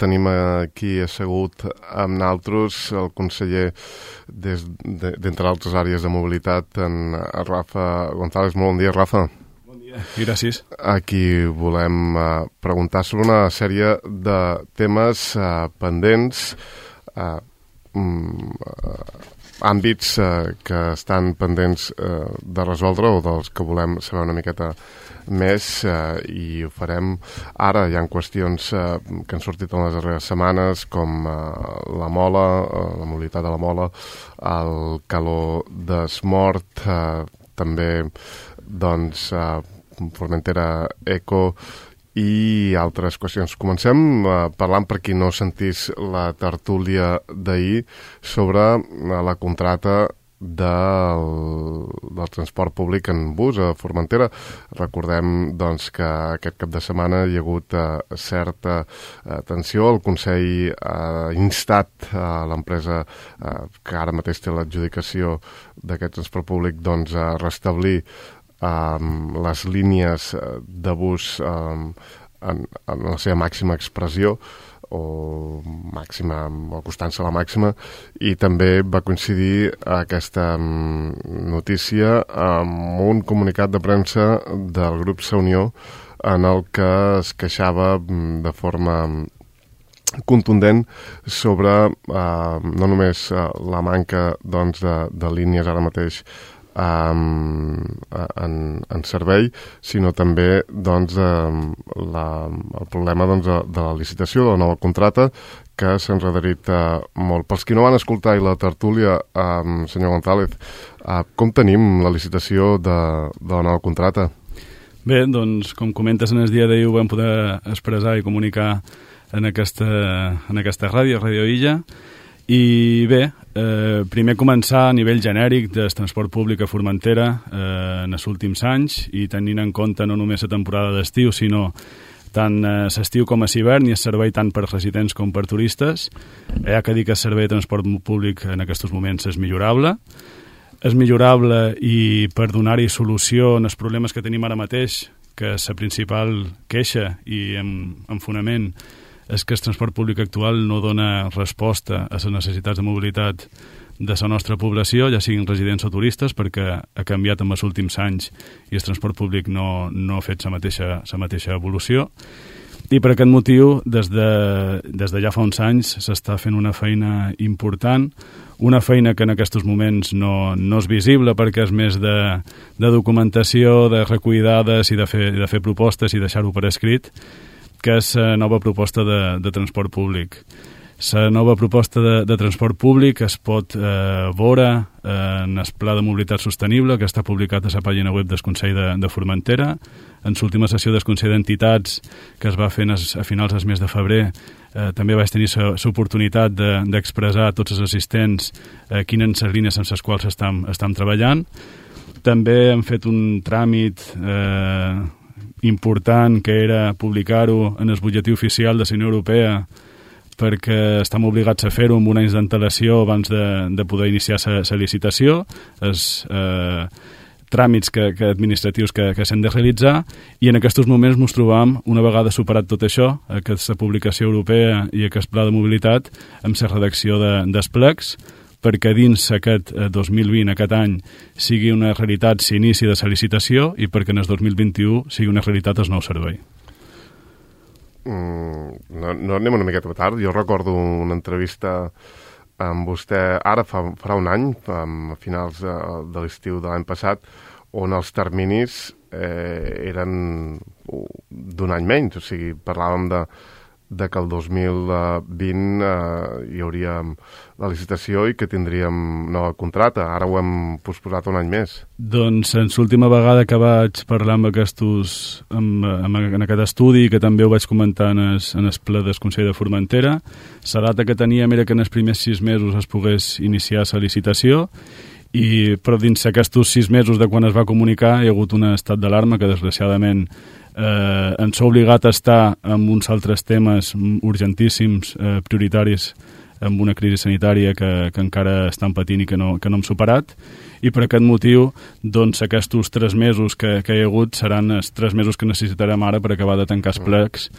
tenim aquí assegut amb naltros el conseller d'entre altres àrees de mobilitat, en Rafa González. Molt bon dia, Rafa. Bon dia i gràcies. Aquí volem preguntar sobre una sèrie de temes pendents, àmbits que estan pendents de resoldre o dels que volem saber una miqueta més, i ho farem ara. Hi ha qüestions que han sortit en les darreres setmanes, com la mola, la mobilitat de la mola, el calor d'Esmort, també doncs Formentera Eco i altres qüestions. Comencem parlant, per qui no sentís la tertúlia d'ahir, sobre la contracta del transport públic en bus a Formentera. Recordem doncs, que aquest cap de setmana hi ha hagut certa tensió. El Consell ha instat a l'empresa que ara mateix té l'adjudicació d'aquest transport públic doncs, a restablir les línies de bus en la seva màxima expressió, o acostant-se a la màxima, i també va coincidir aquesta notícia amb un comunicat de premsa del grup Sa Unió en el que es queixava de forma contundent sobre no només la manca doncs, de línies ara mateix en servei, sinó també doncs, el problema doncs, de la licitació de la nova contracta, que s'ha enredarit molt. Pels qui no van escoltar la tertúlia, senyor González, com tenim la licitació de la nova contracta? Bé, doncs, com comentes, en el dia d'ahir ho vam poder expressar i comunicar en aquesta ràdio, Ràdio Illa. I bé, primer començar a nivell genèric del transport públic a Formentera en els últims anys, i tenint en compte no només la temporada d'estiu, sinó tant l'estiu com a l'hivern, i el servei tant per residents com per turistes. Hi ha que dir que el servei de transport públic en aquests moments és millorable. És millorable, i per donar-hi solució als problemes que tenim ara mateix, que la principal queixa i en fonament és que el transport públic actual no dona resposta a les necessitats de mobilitat de la nostra població, ja siguin residents o turistes, perquè ha canviat en els últims anys i el transport públic no ha fet la mateixa evolució. I per aquest motiu, des de ja fa uns anys, s'està fent una feina important, una feina que en aquests moments no és visible, perquè és més de documentació, de recollir dades i de fer propostes i deixar-ho per escrit, que és la nova proposta de transport públic. La nova proposta de transport públic es pot veure en el Pla de Mobilitat Sostenible, que està publicat a la pàgina web del Consell de Formentera. En l'última sessió del Consell d'Entitats, que es va fer a finals del mes de febrer, també vaig tenir l'oportunitat d'expressar a tots els assistents quines són les línies en les quals estem treballant. També hem fet un tràmit important, que era publicar-ho en el butlletí oficial de la Unió Europea, perquè estem obligats a fer-ho amb un any d'antelació abans de poder iniciar la licitació, els tràmits administratius que s'han de realitzar, i en aquests moments ens trobam, una vegada superat tot això, aquesta publicació europea i aquest pla de mobilitat, amb la redacció dels plecs, perquè dins aquest 2020, aquest any, sigui una realitat l'inici de la licitació, i perquè en el 2021 sigui una realitat el nou servei. No anem una miqueta tard. Jo recordo una entrevista amb vostè ara farà un any, a finals de l'estiu de l'any passat, on els terminis eren d'un any menys. O sigui, parlàvem de que el 2020 hi hauria la licitació i que tindríem nova contracta. Ara ho hem posposat un any més. Doncs en l'última vegada que vaig parlar amb en aquest estudi, que també ho vaig comentar en el ple del Consell de Formentera, la data que teníem era que en els primers 6 mesos es pogués iniciar la licitació, però dins aquests 6 mesos de quan es va comunicar hi ha hagut un estat d'alarma que desgraciadament ens ha obligat a estar amb uns altres temes urgentíssims, prioritaris amb una crisi sanitària que encara estan patint i que no hem superat, i per aquest motiu doncs, aquests 3 mesos que hi ha hagut seran els 3 mesos que necessitarem ara per acabar de tancar els plecs,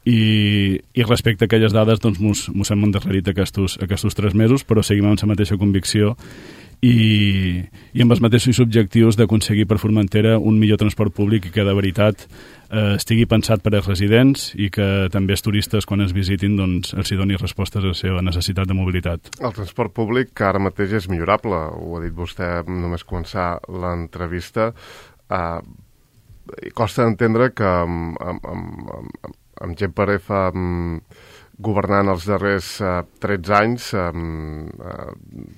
i respecte a aquelles dades doncs mos hem endarrerit aquests 3 mesos, però seguim amb la mateixa convicció i amb els mateixos objectius d'aconseguir per Formentera un millor transport públic i que de veritat estigui pensat per als residents i que també els turistes quan es visitin doncs, els hi doni respostes a la seva necessitat de mobilitat. El transport públic que ara mateix és millorable, ho ha dit vostè només començar l'entrevista. Costa d'entendre que amb GPRF governant els darrers 13 anys,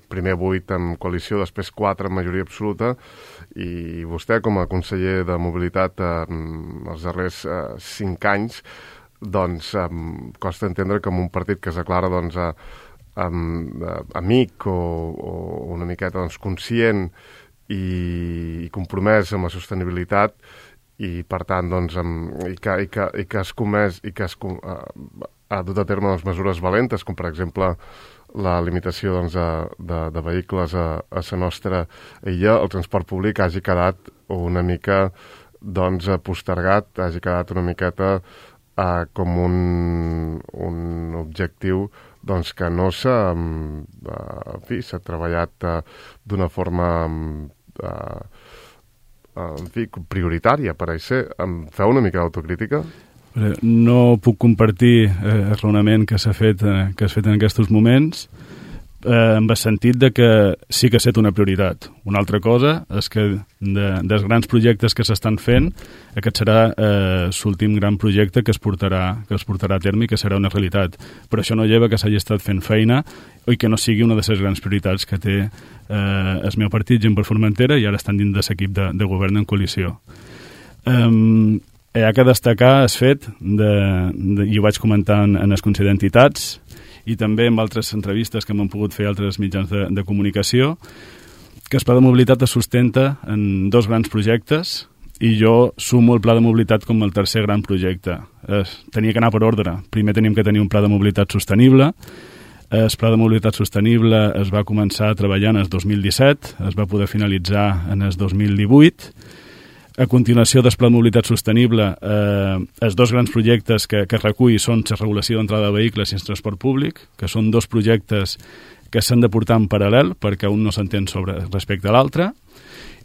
primer 8 en coalició, després 4 en majoria absoluta, i vostè com a conseller de mobilitat els darrers 5 anys, doncs costa entendre que amb un partit que es declara doncs, amic o una miqueta doncs, conscient i compromès amb la sostenibilitat, i per tant doncs, ha dut a terme les mesures valentes, com per exemple la limitació doncs, de vehicles a la nostra illa, el transport públic hagi quedat una mica doncs, postergat, hagi quedat una miqueta com un objectiu doncs, que no s'ha treballat d'una forma prioritària, pareix ser. Feu una mica d'autocrítica? No puc compartir el raonament que s'ha fet en aquests moments, amb el sentit de que sí que ha estat una prioritat. Una altra cosa és que dels grans projectes que s'estan fent, aquest serà l'últim gran projecte que es portarà a terme i que serà una realitat. Però això no lleva que s'hagi estat fent feina i que no sigui una de les grans prioritats que té el meu partit, Gent per Formentera, i ara estan dins de l'equip de govern en coalició. Hi ha que destacar el fet, i ho vaig comentar en el Consell d'Entitats i també en altres entrevistes que m'han pogut fer altres mitjans de comunicació, que el Pla de Mobilitat es sustenta en 2 grans projectes i jo sumo el Pla de Mobilitat com el tercer gran projecte. Tenia que anar per ordre. Primer teníem que tenir un Pla de Mobilitat sostenible. El Pla de Mobilitat Sostenible es va començar a treballar en el 2017, es va poder finalitzar en el 2018. A continuació del Pla de Mobilitat Sostenible, els 2 grans projectes que recull són la regulació d'entrada de vehicles i el transport públic, que són 2 projectes que s'han de portar en paral·lel perquè un no s'entén respecte a l'altre,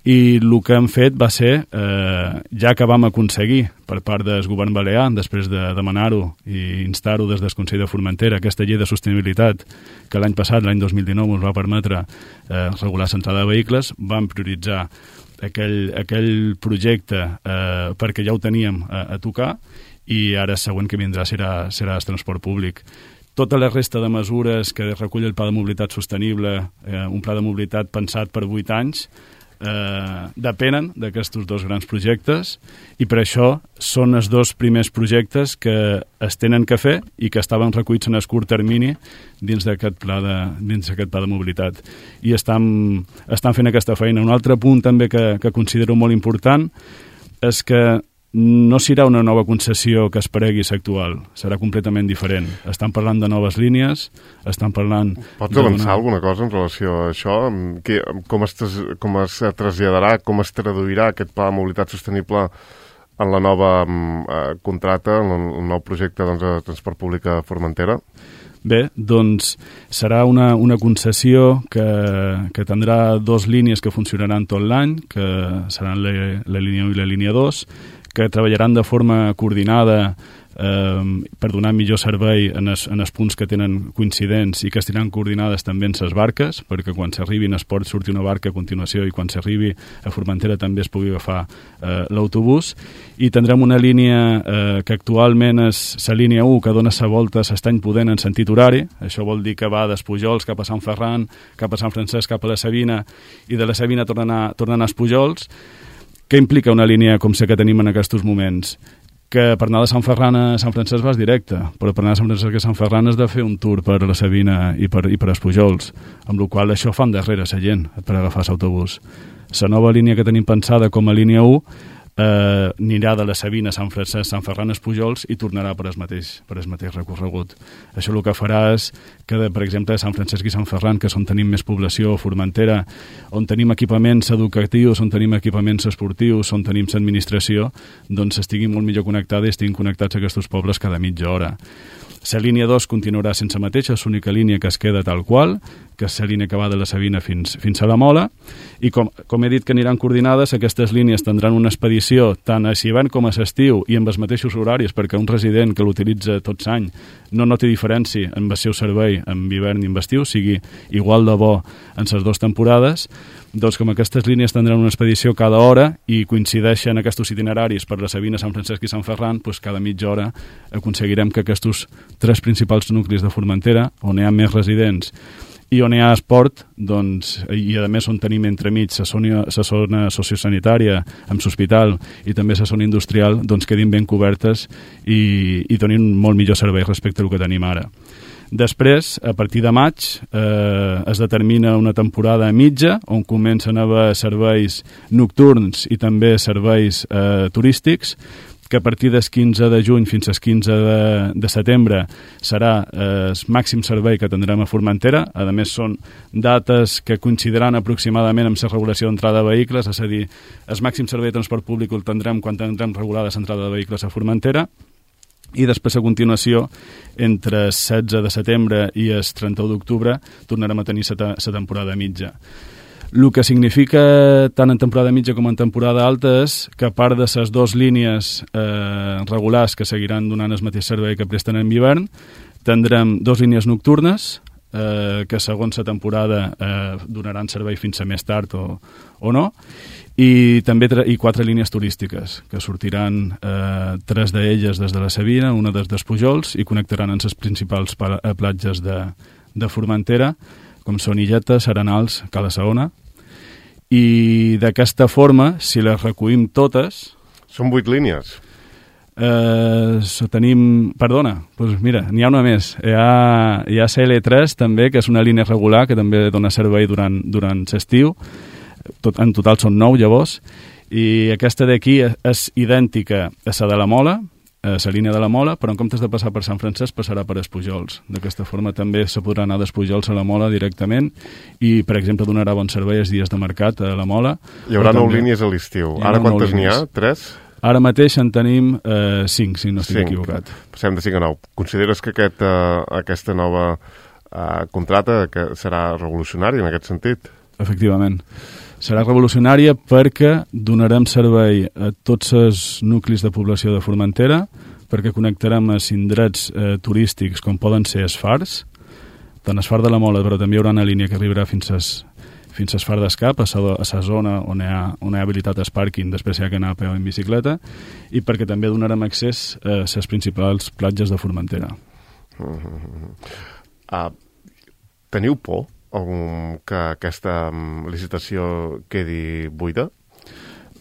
i el que hem fet va ser, ja que vam aconseguir per part del govern balear, després de demanar-ho i instar-ho des del Consell de Formentera, aquesta llei de sostenibilitat que l'any passat, l'any 2019, ens va permetre regular l'entrada de vehicles, vam prioritzar aquell projecte perquè ja ho teníem a tocar, i ara el següent que vindrà serà el transport públic. Tota la resta de mesures que recull el Pla de Mobilitat Sostenible, un pla de mobilitat pensat per 8 anys, depenen d'aquests 2 grans projectes, i per això són els 2 primers projectes que es tenen que fer i que estaven recollits en el curt termini dins d'aquest pla de mobilitat, i estan fent aquesta feina. Un altre punt també que considero molt important és que no serà una nova concessió que es paregui l'actual, serà completament diferent. Estan parlant de noves línies, estan parlant... Pots avançar alguna cosa en relació a això? Com es traslladarà, com es traduirà aquest pla de mobilitat sostenible en la nova contracta, en el nou projecte de transport públic a Formentera? Bé, doncs serà una concessió que tindrà 2 línies que funcionaran tot l'any, que seran la línia 1 i la línia 2, que treballaran de forma coordinada per donar millor servei en els punts que tenen coincidents i que estiran coordinades també en les barques, perquè quan s'arribin es pot sortir una barca a continuació i quan s'arribi a Formentera també es pugui agafar l'autobús. I tindrem una línia que actualment és la línia 1, que dona la volta a l'Estany Pudent en sentit horari. Això vol dir que va dels Pujols cap a Sant Ferran, cap a Sant Francesc, cap a la Sabina, i de la Sabina tornant a Pujols. Què implica una línia com la que tenim en aquests moments? Que per anar de Sant Ferran a Sant Francesc vas directe, però per anar de Sant Francesc a Sant Ferran has de fer un tour per la Sabina i per els Pujols, amb la qual això fa endarrere la gent per agafar l'autobús. La nova línia que tenim pensada com a línia 1 anirà de la Sabina a Sant Francesc, Sant Ferran, Espujols i tornarà per el mateix recorregut. Això el que farà és que, per exemple, Sant Francesc i Sant Ferran, que és on tenim més població, Formentera, on tenim equipaments educatius, on tenim equipaments esportius, on tenim l'administració, doncs estiguin molt millor connectats i estiguin connectats a aquests pobles cada mitja hora. La línia 2 continuarà sense mateixa, és l'única línia que es queda tal qual, que és la línia que va de la Sabina fins a la Mola, i com he dit que aniran coordinades, aquestes línies tindran una expedició tant a hivern com a l'estiu i amb els mateixos horaris, perquè un resident que l'utilitza tot l'any no noti diferència en el seu servei en hivern i en estiu, sigui igual de bo en les dues temporades. Doncs com aquestes línies tindran una expedició cada hora i coincideixen aquests itineraris per la Sabina, Sant Francesc i Sant Ferran, doncs cada mitja hora aconseguirem que aquests 3 principals nuclis de Formentera, on hi ha més residents i on hi ha esport, doncs, i a més on tenim entremig la zona sociosanitària amb l'hospital i també la zona industrial, doncs quedin ben cobertes i donin molt millor servei respecte al que tenim ara. Després, a partir de maig, es determina una temporada mitja on comencen a haver serveis nocturns i també serveis turístics, que a partir del 15 de juny fins al 15 de setembre serà el màxim servei que tindrem a Formentera. A més, són dates que coincidiran aproximadament amb la regulació d'entrada de vehicles, és a dir, el màxim servei de transport públic el tindrem quan tindrem regulada l'entrada de vehicles a Formentera. I després, a continuació, entre el 16 de setembre i el 31 d'octubre, tornarem a tenir la temporada mitja. El que significa tant en temporada mitja com en temporada alta és que a part de les 2 línies regulars que seguiran donant el mateix servei que presten en hivern, tindrem 2 línies nocturnes que segons la temporada donaran servei fins a més tard o no, i també 4 línies turístiques que sortiran 3 d'elles des de la Sabina, una des d'Espujols i connectaran amb les principals platges de Formentera, com són Illetes, Arenals, Cala Saona. I d'aquesta forma, si les recollim totes... Són 8 línies. Tenim... Perdona, doncs mira, n'hi ha una més. Hi ha CL3 també, que és una línia regular que també dona servei durant l'estiu. En total són 9 llavors. I aquesta d'aquí és idèntica a la de la Mola, a la línia de la Mola, però en comptes de passar per Sant Francesc passarà per Espujols. D'aquesta forma també se podrà anar d'Espujols a la Mola directament i, per exemple, donarà bon servei els dies de mercat a la Mola. Hi haurà 9 línies a l'estiu. Ara quantes n'hi ha? 3? Ara mateix en tenim 5, si no estic equivocat. Passem de 5 a 9. Consideres que aquesta nova contrata que serà revolucionària en aquest sentit? Efectivament. Serà revolucionària perquè donarem servei a tots els nuclis de població de Formentera, perquè connectarem a indrets turístics com poden ser els fars, tant el far de la Mola, però també hi haurà una línia que arribarà fins al far d'Escap, a la zona on hi ha habilitat el pàrquing, després hi ha que anar a peu en bicicleta, i perquè també donarem accés a les principals platges de Formentera. Teniu por que aquesta licitació quedi buida?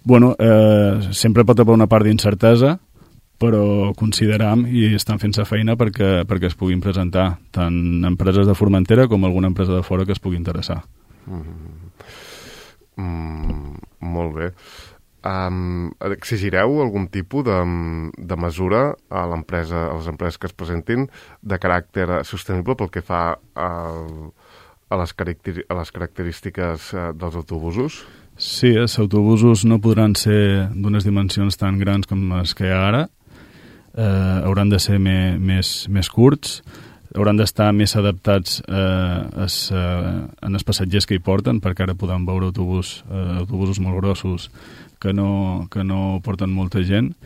Bueno, sempre pot haver una part d'incertesa, però consideram i estan fent la feina perquè es puguin presentar tant empreses de Formentera com alguna empresa de fora que es pugui interessar. Molt bé. Exigireu algun tipus de mesura a les empreses que es presentin de caràcter sostenible pel que fa a les característiques dels autobusos? Sí, els autobusos no podran ser d'unes dimensions tan grans com les que hi ha ara. Hauran de ser més curts, hauran d'estar més adaptats en els passatgers que hi porten, perquè ara podem veure autobusos molt grossos que no porten molta gent,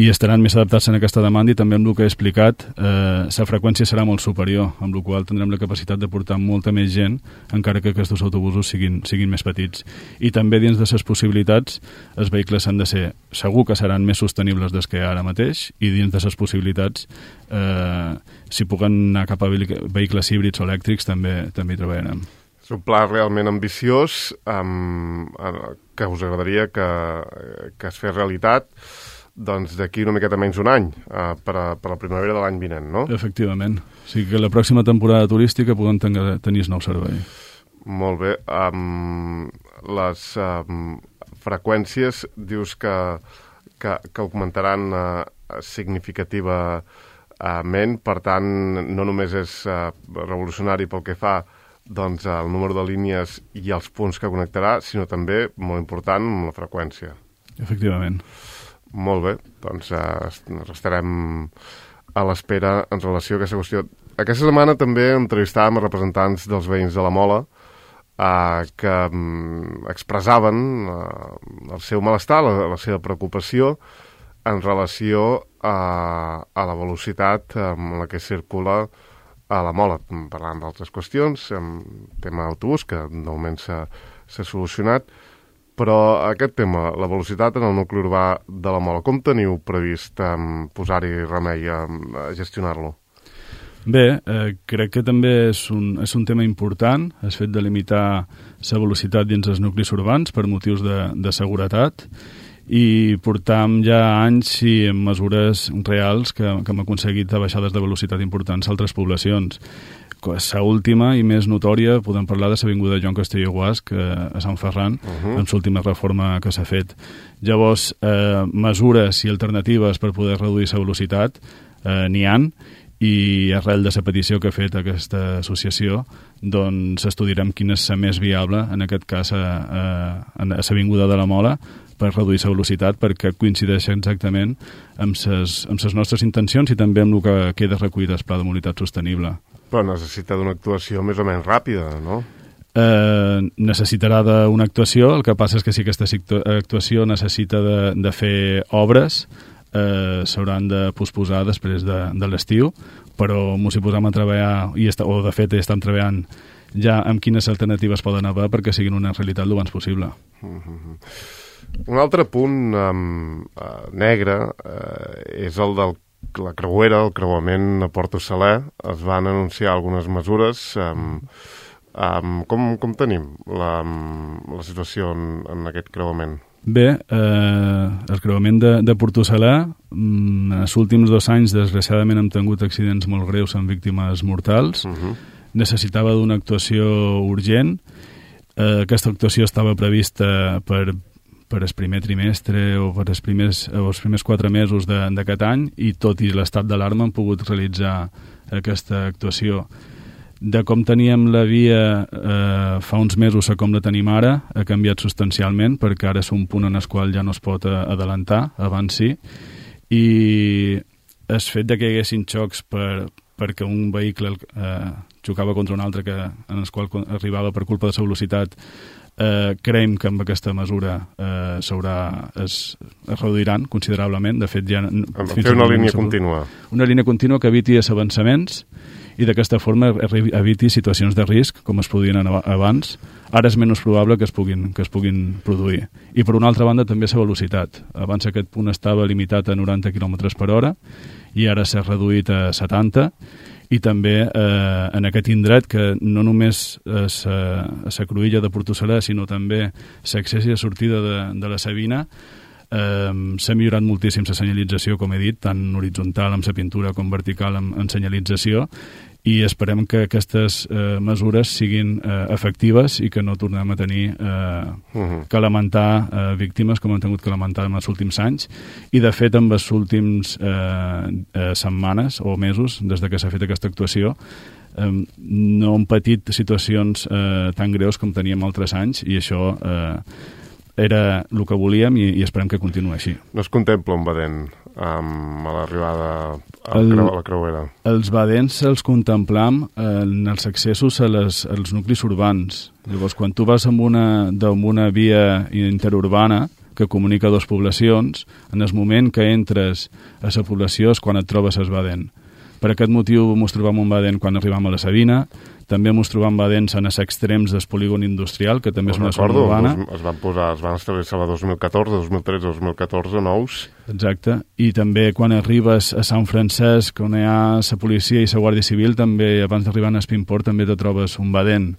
i estaran més adaptats en aquesta demanda, i també amb el que he explicat la freqüència serà molt superior, amb la qual tindrem la capacitat de portar molta més gent, encara que aquests autobusos siguin més petits. I també dins de les possibilitats els vehicles han de ser, segur que seran més sostenibles des que ara mateix, i dins de les possibilitats si puguen anar cap a vehicles híbrids o elèctrics també hi treballarem. És un pla realment ambiciós que us agradaria que es fes realitat doncs d'aquí una miqueta menys un any, per a la primavera de l'any vinent, no? Efectivament. O sigui que la pròxima temporada turística podem tenir nou servei. Molt bé. freqüències dius que augmentaran significativament, per tant, no només és revolucionari pel que fa doncs, el número de línies i els punts que connectarà, sinó també, molt important, la freqüència. Efectivament. Molt bé, doncs estarem a l'espera en relació a aquesta qüestió. Aquesta setmana també entrevistàvem representants dels veïns de la Mola que expressaven el seu malestar, la seva preocupació en relació a la velocitat amb la que circula a la Mola, parlant d'altres qüestions, tema autobús, que de moment s'ha solucionat, però aquest tema, la velocitat en el nucli urbà de la Mola, com teniu previst posar-hi remei a gestionar-lo? Bé, crec que també és un tema important, el fet de limitar la velocitat dins els nuclis urbans per motius de seguretat, i portam ja anys i amb mesures reals que hem aconseguit baixades de velocitat importants a altres poblacions. La última i més notòria podem parlar de l'avinguda Joan Castelló i Guasc a Sant Ferran, amb l'última reforma que s'ha fet. Llavors, mesures i alternatives per poder reduir la velocitat n'hi han, i arrel de la petició que ha fet aquesta associació, doncs estudiarem quina és la més viable, en aquest cas a l'avinguda de la Mola, per reduir la velocitat, perquè coincideix exactament amb les nostres intencions i també amb el que queda recollit al Pla de Mobilitat Sostenible. Però necessita d'una actuació més o menys ràpida, no? Necessitarà d'una actuació, el que passa és que si aquesta actuació necessita de fer obres, s'hauran de posposar després de l'estiu, però ens hi posam a treballar, o de fet estan treballant ja amb quines alternatives poden haver perquè siguin una realitat el abans possible. Un altre punt negre és el de la creuera, el creuament a Porto Saler. Es van anunciar algunes mesures. Com tenim la situació en aquest creuament? Bé, el creuament de Porto Saler, els últims 2 anys, desgraciadament, hem tingut accidents molt greus amb víctimes mortals. Necessitava d'una actuació urgent. Aquesta actuació estava prevista per el primer trimestre o per els primers 4 mesos d'aquest any, i tot i l'estat d'alarma hem pogut realitzar aquesta actuació. De com teníem la via fa uns mesos a com la tenim ara, ha canviat substancialment, perquè ara és un punt en el qual ja no es pot adelantar, abans sí, i el fet que hi haguessin xocs perquè un vehicle xocava contra un altre en el qual arribava per culpa de la velocitat, creiem que amb aquesta mesura es reduiran considerablement. De fet, ja fer una línia contínua. Una línia contínua que eviti avançaments i d'aquesta forma eviti situacions de risc com es podien abans. Ara és menys probable que es puguin produir. I per una altra banda també la velocitat. Abans aquest punt estava limitat a 90 km per hora i ara s'ha reduït a 70, i també en aquest indret, que no només la cruïlla de Porto Saler, sinó també l'accés i la sortida de la Sabina, s'ha millorat moltíssim la senyalització, com he dit, tant horitzontal amb la pintura com vertical amb senyalització, i esperem que aquestes mesures siguin efectives i que no tornem a tenir que lamentar víctimes com hem tingut que lamentar en els últims anys. I de fet en les últimes setmanes o mesos des que s'ha fet aquesta actuació no hem patit situacions tan greus com teníem altres anys, i això era el que volíem i esperem que continuï així. No es contempla un badent a l'arribada a la creuera? Els badents els contemplam en els accessos als nuclis urbans. Llavors, quan tu vas amb una via interurbana que comunica dues poblacions, en el moment que entres a la població és quan et trobes el badent. Per aquest motiu ens trobam un badent quan arribam a la Sabina, també ens trobam badents en els extrems del polígon industrial, que també és una zona urbana. Es van establir la 2014, 2013, 2014, nous. Exacte, i també quan arribes a Sant Francesc, on hi ha la policia i la Guàrdia Civil, també abans d'arribar a Espimport també te trobes un badent.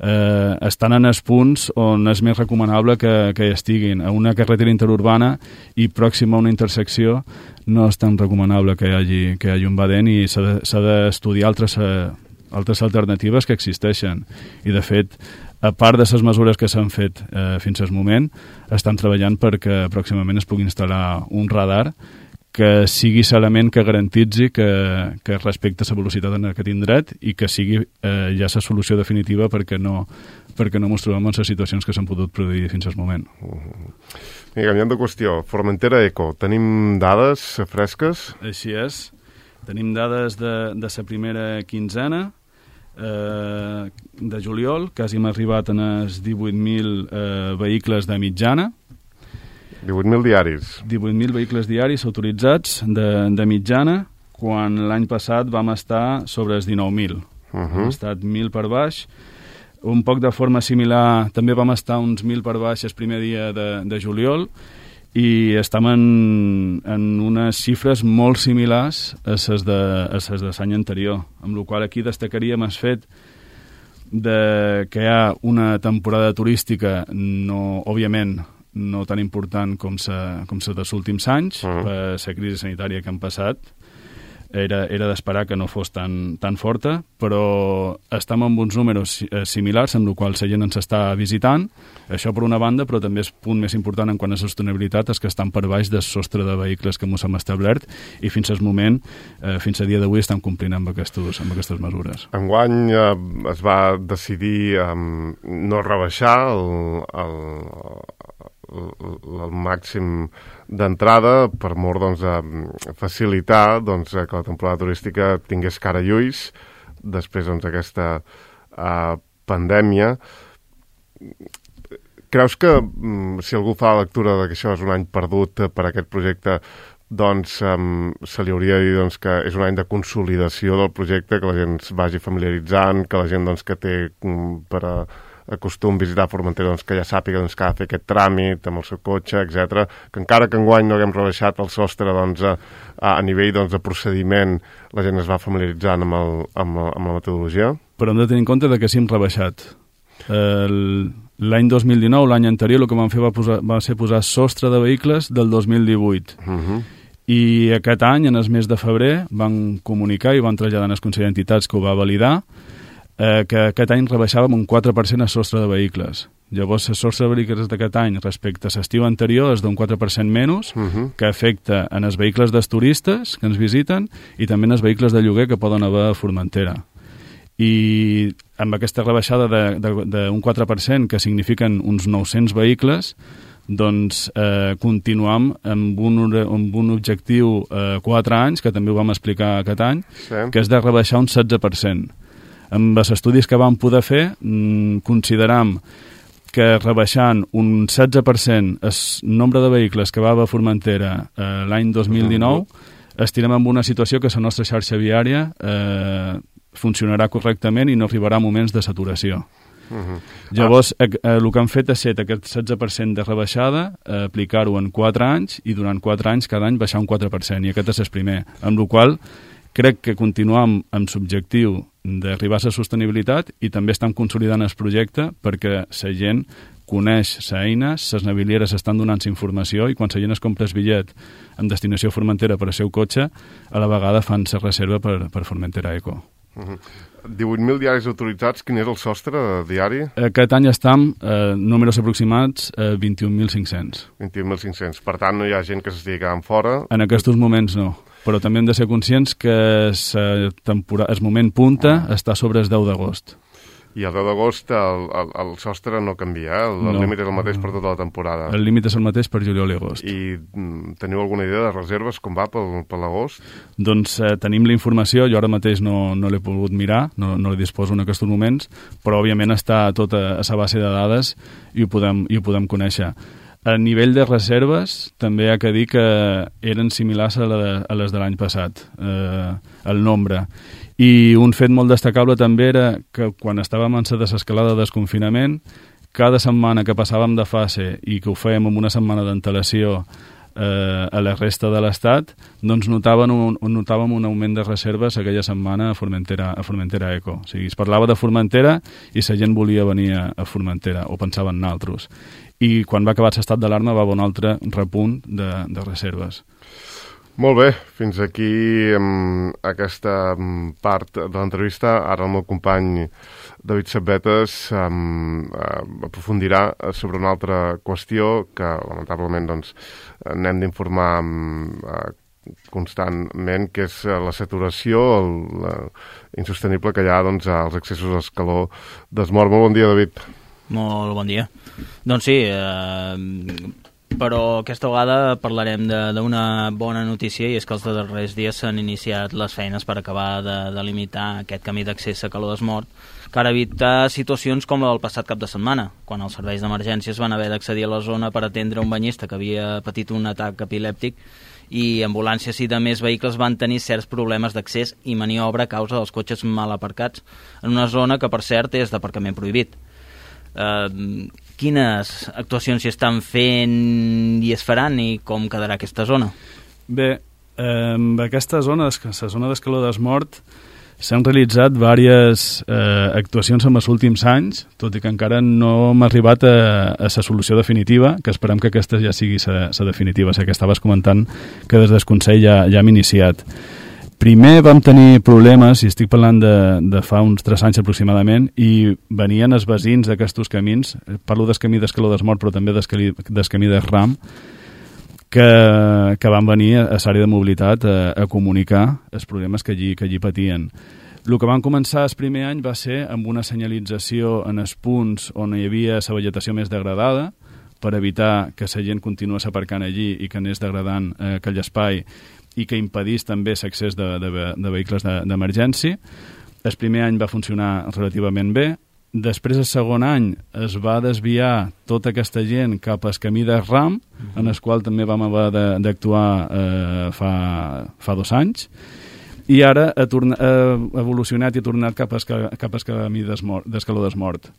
Estan en els punts on és més recomanable que hi estiguin. A una carretera interurbana i pròxima a una intersecció no és tan recomanable que hi hagi un badent, i s'ha d'estudiar altres alternatives que existeixen. I de fet a part de les mesures que s'han fet fins al moment, estan treballant perquè pròximament es pugui instal·lar un radar que sigui l'element que garantitzi que respecta la velocitat en aquest indret i que sigui ja la solució definitiva perquè no ens trobem en les situacions que s'han pogut produir fins al moment. I canviant de qüestió, Formentera Eco, tenim dades fresques? Així és. Tenim dades de la primera quinzena de juliol, quasi hem arribat en els 18.000 vehicles de mitjana. 18.000 diaris. 18.000 vehicles diaris autoritzats de mitjana, quan l'any passat vam estar sobre els 19.000. Hem estat 1.000 per baix. Un poc de forma similar, també vam estar uns 1.000 per baix el primer dia de juliol, i estem en unes xifres molt similars a les de l'any anterior, amb la qual aquí destacaríem el fet que hi ha una temporada turística, òbviament, no tan important com la dels últims anys, per la crisi sanitària que han passat. Era d'esperar que no fos tan forta, però estem amb uns números similars, amb el qual la gent ens està visitant. Això per una banda, però també és punt més important en quant a sostenibilitat, és que estan per baix del sostre de vehicles que ens hem establert i fins al moment, fins a dia d'avui, estem complint amb aquestes mesures. Enguany es va decidir no rebaixar el màxim d'entrada per mort de facilitar que la temporada turística tingués cara i ulls després d'aquesta pandèmia. Creus que si algú fa la lectura que això és un any perdut per aquest projecte, doncs se li hauria de dir que és un any de consolidació del projecte, que la gent es vagi familiaritzant, que la gent que té per acostum visitar Formentera que ja sàpiga que ha de fer aquest tràmit amb el seu cotxe, etc. Que encara que enguany no haguem rebaixat el sostre a nivell de procediment, la gent es va familiaritzant amb la metodologia. Però hem de tenir en compte que sí hem rebaixat. L'any 2019, l'any anterior, el que vam fer va ser posar sostre de vehicles del 2018. I aquest any, en el mes de febrer, van comunicar i van traslladar en el Consell d'Entitats que ho va validar, que aquest any rebaixàvem un 4% el sostre de vehicles. Llavors, el sostre de vehicles d'aquest any respecte a l'estiu anterior és d'un 4% menys, que afecta en els vehicles dels turistes que ens visiten i també en els vehicles de lloguer que poden haver a Formentera. I amb aquesta rebaixada d'un 4%, que signifiquen uns 900 vehicles, doncs continuam amb un objectiu a 4 anys, que també ho vam explicar aquest any, que és de rebaixar un 16%. Amb els estudis que vam poder fer, consideram que rebaixant un 16% el nombre de vehicles que va a Formentera l'any 2019, estirem en una situació que la nostra xarxa viària funcionarà correctament i no arribarà a moments de saturació. Llavors, el que han fet és aquest 16% de rebaixada, aplicar-ho en 4 anys i durant 4 anys cada any baixar un 4%, i aquest és el primer, amb la qual crec que continuem amb l'objectiu d'arribar a la sostenibilitat i també estem consolidant el projecte perquè la gent coneix l'eina, les navilieres estan donant informació i quan la gent es compra el bitllet amb destinació a Formentera per al seu cotxe, a la vegada fan la reserva per Formentera Eco. 18.000 diaris autoritzats, quin és el sostre diari? Aquest any estem, números aproximats, 21.500. 21.500, per tant no hi ha gent que s'estigui quedant fora? En aquests moments no, però també hem de ser conscients que el moment punta està sobre el 10 d'agost. I el 10 d'agost el sostre no canvia, el límit és el mateix per tota la temporada. El límit és el mateix per juliol i agost. I teniu alguna idea de reserves, com va per l'agost? Doncs tenim la informació, jo ara mateix no l'he pogut mirar, no la disposo en aquests moments, però òbviament està tot a la base de dades i ho podem conèixer. A nivell de reserves, també hi ha que dir que eren similars a les de l'any passat, el nombre. I un fet molt destacable també era que quan estàvem en la desescalada de desconfinament, cada setmana que passàvem de fase i que ho fèiem amb una setmana d'antelació a la resta de l'Estat, doncs notàvem un augment de reserves aquella setmana a Formentera Eco. O sigui, es parlava de Formentera i la gent volia venir a Formentera, o pensava en altres. I quan va acabar l'estat d'alarma va haver un altre repunt de reserves. Molt bé, fins aquí aquesta part de l'entrevista. Ara el meu company David Setbetes aprofundirà sobre una altra qüestió que lamentablement doncs, n'hem d'informar constantment, que és la saturació insostenible que hi ha doncs, als accessos a Escaló d'Esmort. Molt bon dia, David. Molt bon dia. Doncs sí, però aquesta vegada parlarem d'una bona notícia, i és que els darrers dies s'han iniciat les feines per acabar de limitar aquest camí d'accés a Caló d'Esmort, per evitar situacions com la del passat cap de setmana, quan els serveis d'emergències van haver d'accedir a la zona per atendre un banyista que havia patit un atac epilèptic, i ambulàncies i de més vehicles van tenir certs problemes d'accés i maniobra a causa dels cotxes mal aparcats en una zona que, per cert, és d'aparcament prohibit. Quines actuacions s'hi estan fent i es faran, i com quedarà aquesta zona? Bé, aquesta zona, la zona d'Escaló d'Esmort, s'han realitzat diverses actuacions en els últims anys, tot i que encara no hem arribat a la solució definitiva, que esperem que aquesta ja sigui la definitiva. Sé que estaves comentant que des del Consell ja hem iniciat. Primer vam tenir problemes, i estic parlant de fa uns 3 anys aproximadament, i venien els veïns d'aquests camins, parlo del camí d'Escaló d'Esmort, però també del camí de Ram, que van venir a l'àrea de mobilitat a comunicar els problemes que allí patien. El que van començar el primer any va ser amb una senyalització en els punts on hi havia la vegetació més degradada, per evitar que la gent continués aparcant allí i que anés degradant aquell espai, i que impedís també l'accés de vehicles d'emergència. El primer any va funcionar relativament bé. Després, el segon any, es va desviar tota aquesta gent cap al camí de Ram, en el qual també vam haver d'actuar fa 2 anys, i ara ha evolucionat i ha tornat cap al camí d'Escaló d'Esmort.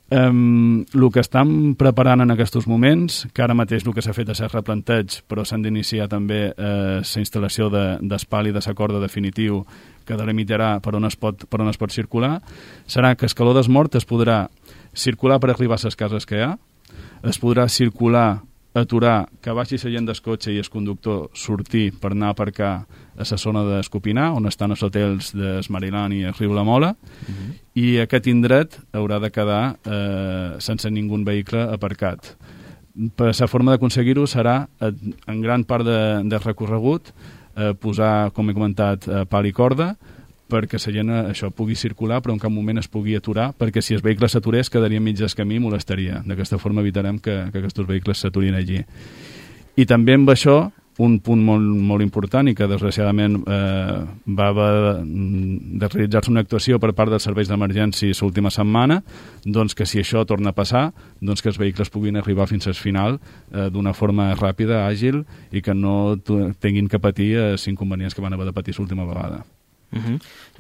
El que estan preparant en aquests moments, que ara mateix el que s'ha fet és el replanteig, però s'han d'iniciar també la instal·lació d'espal i de la corda definitiu que delimitarà per on es pot circular, serà que Escaló d'Esmort es podrà circular per arribar a les cases que hi ha, es podrà circular, aturar, que baixi la gent del cotxe i el conductor sortir per anar a aparcar a la zona d'Escopinar, on estan els hotels d'Esmarilan i el riu La Mola, i aquest indret haurà de quedar sense ningú vehicle aparcat. Per la forma d'aconseguir-ho serà, en gran part del recorregut, posar, com he comentat, pal i corda, perquè la gent això pugui circular, però en cap moment es pugui aturar, perquè si el vehicle s'aturés quedaria mig del camí i molestaria. D'aquesta forma evitarem que aquests vehicles s'aturin allí. I també amb això, un punt molt important, i que desgraciadament va haver de realitzar-se una actuació per part dels serveis d'emergència l'última setmana, doncs que si això torna a passar, doncs que els vehicles puguin arribar fins al final d'una forma ràpida, àgil, i que no tinguin que patir els inconvenients que van haver de patir l'última vegada.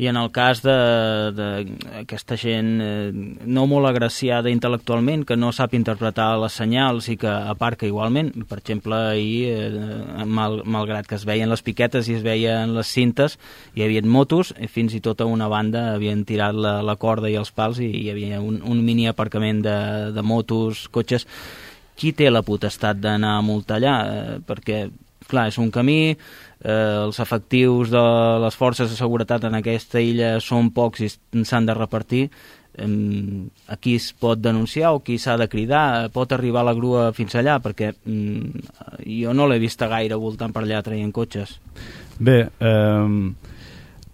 I en el cas d'aquesta gent no molt agraciada intel·lectualment, que no sap interpretar les senyals i que aparca igualment, per exemple, ahir, malgrat que es veien les piquetes i es veien les cintes, hi havia motos, fins i tot a una banda havien tirat la corda i els pals i hi havia un mini aparcament de motos, cotxes. Qui té la potestat d'anar a multar allà? Perquè, clar, és un camí, els efectius de les forces de seguretat en aquesta illa són pocs i s'han de repartir. A qui es pot denunciar o qui s'ha de cridar? Pot arribar la grua fins allà? Perquè jo no l'he vista gaire voltant per allà traient cotxes. Bé,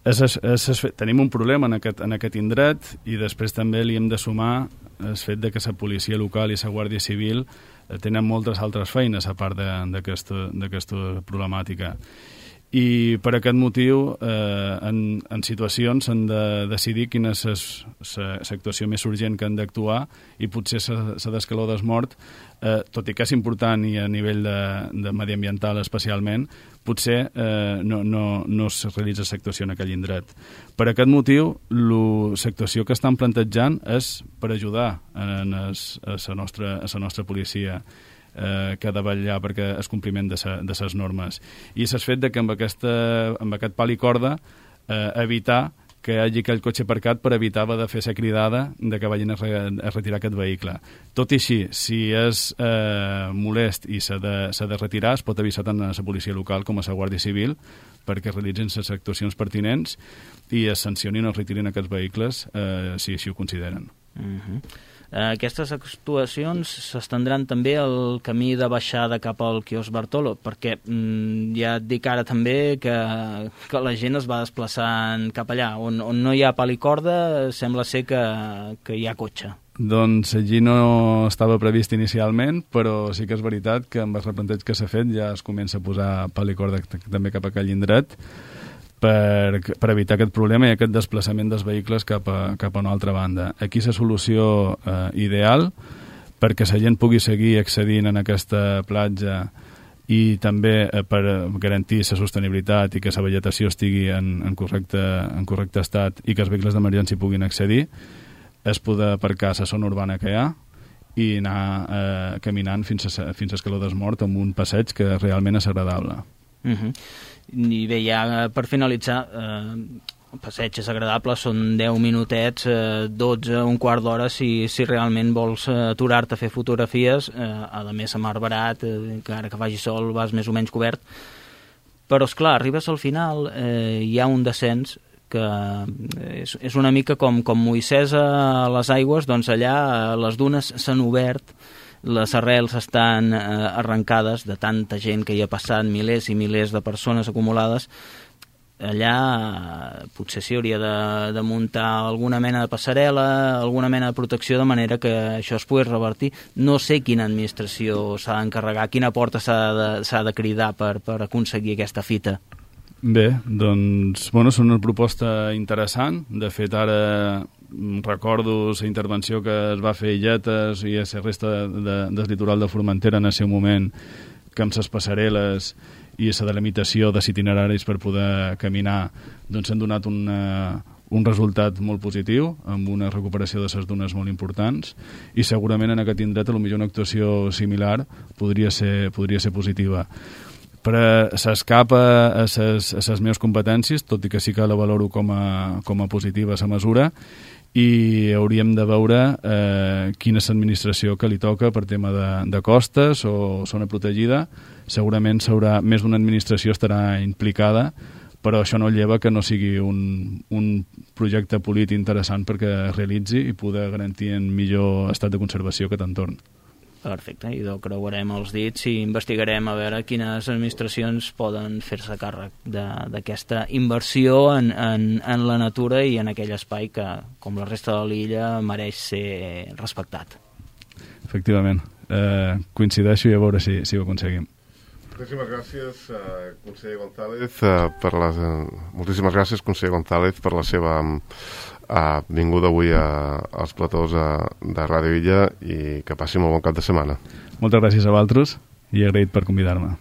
tenim un problema en aquest indret, i després també li hem de sumar el fet que la policia local i la Guàrdia Civil tenen moltes altres feines a part d'aquesta problemàtica. I per aquest motiu, en situacions s'han de decidir quina és l'actuació més urgent que han d'actuar, i potser la d'Escaló d'Esmort, tot i que és important i a nivell de mediambiental especialment, potser no es realitza l'actuació en aquell indret. Per aquest motiu, l'actuació que estan plantejant és per ajudar a la nostra policia, que ha de vetllar perquè el compliment de les normes. I és el fet que amb aquest pal i corda evitar que hi hagi aquell cotxe aparcat per evitar de fer ser cridada de que vagin a retirar aquest vehicle. Tot i així, si és molest i s'ha de retirar, es pot avisar tant a la policia local com a la Guàrdia Civil perquè realitzin les actuacions pertinents i es sancionin o es retirin aquests vehicles si així ho consideren. Aquestes actuacions s'estendran també al camí de baixada cap al quiosc Bartolo, perquè ja et dic ara també que la gent es va desplaçant cap allà. On no hi ha pal i corda, sembla ser que hi ha cotxe. Doncs allí no estava previst inicialment, però sí que és veritat que amb el replanteig que s'ha fet ja es comença a posar pal i corda també cap a aquell indret, per evitar aquest problema i aquest desplaçament dels vehicles cap a una altra banda. Aquí és la solució ideal perquè la gent pugui seguir accedint en aquesta platja i també per garantir la sostenibilitat i que la vegetació estigui en correcte estat i que els vehicles d'emergència puguin accedir, es poder aparcar a la zona urbana que hi ha i anar caminant fins a Escaló d'Esmort amb un passeig que realment és agradable. I bé, ja per finalitzar, el passeig és agradable, són 10 minutets, 12, un quart d'hora si realment vols aturar-te a fer fotografies, a més a mar barat, que ara que faci sol vas més o menys cobert, però esclar, arribes al final, hi ha un descens que és una mica com Moisès a les aigües, doncs allà les dunes s'han obert, les arrels estan arrencades de tanta gent que hi ha passat, milers i milers de persones acumulades. Allà potser s'hi hauria de muntar alguna mena de passarel·la, alguna mena de protecció, de manera que això es pugui revertir. No sé quina administració s'ha d'encarregar, quina porta s'ha de cridar per aconseguir aquesta fita. Bé, doncs, és una proposta interessant. De fet, ara recordo la intervenció que es va fer a Illetes i a la resta del litoral de Formentera en el seu moment, que amb les passarel·les i la delimitació dels itineraris per poder caminar doncs han donat un resultat molt positiu, amb una recuperació de les dunes molt importants, i segurament en aquest indret potser una actuació similar podria ser positiva. Però s'escapa a les meves competències, tot i que sí que la valoro com a positiva la mesura, i hauríem de veure quina és l'administració que li toca per tema de costes o zona protegida. Segurament més d'una administració estarà implicada, però això no lleva que no sigui un projecte polític interessant perquè es realitzi i poder garantir en millor estat de conservació aquest entorn. Perfecte, i creuarem els dits i investigarem a veure quines administracions poden fer-se càrrec d'aquesta inversió en la natura i en aquell espai que, com la resta de l'illa, mereix ser respectat. Efectivament. Coincideixo i a veure si ho aconseguim. Moltíssimes gràcies, conseller González, moltíssimes gràcies, conseller González, per la seva vinguda avui als platós de Ràdio Illa i que passi molt bon cap de setmana. Moltes gràcies a vosaltres i agraït per convidar-me.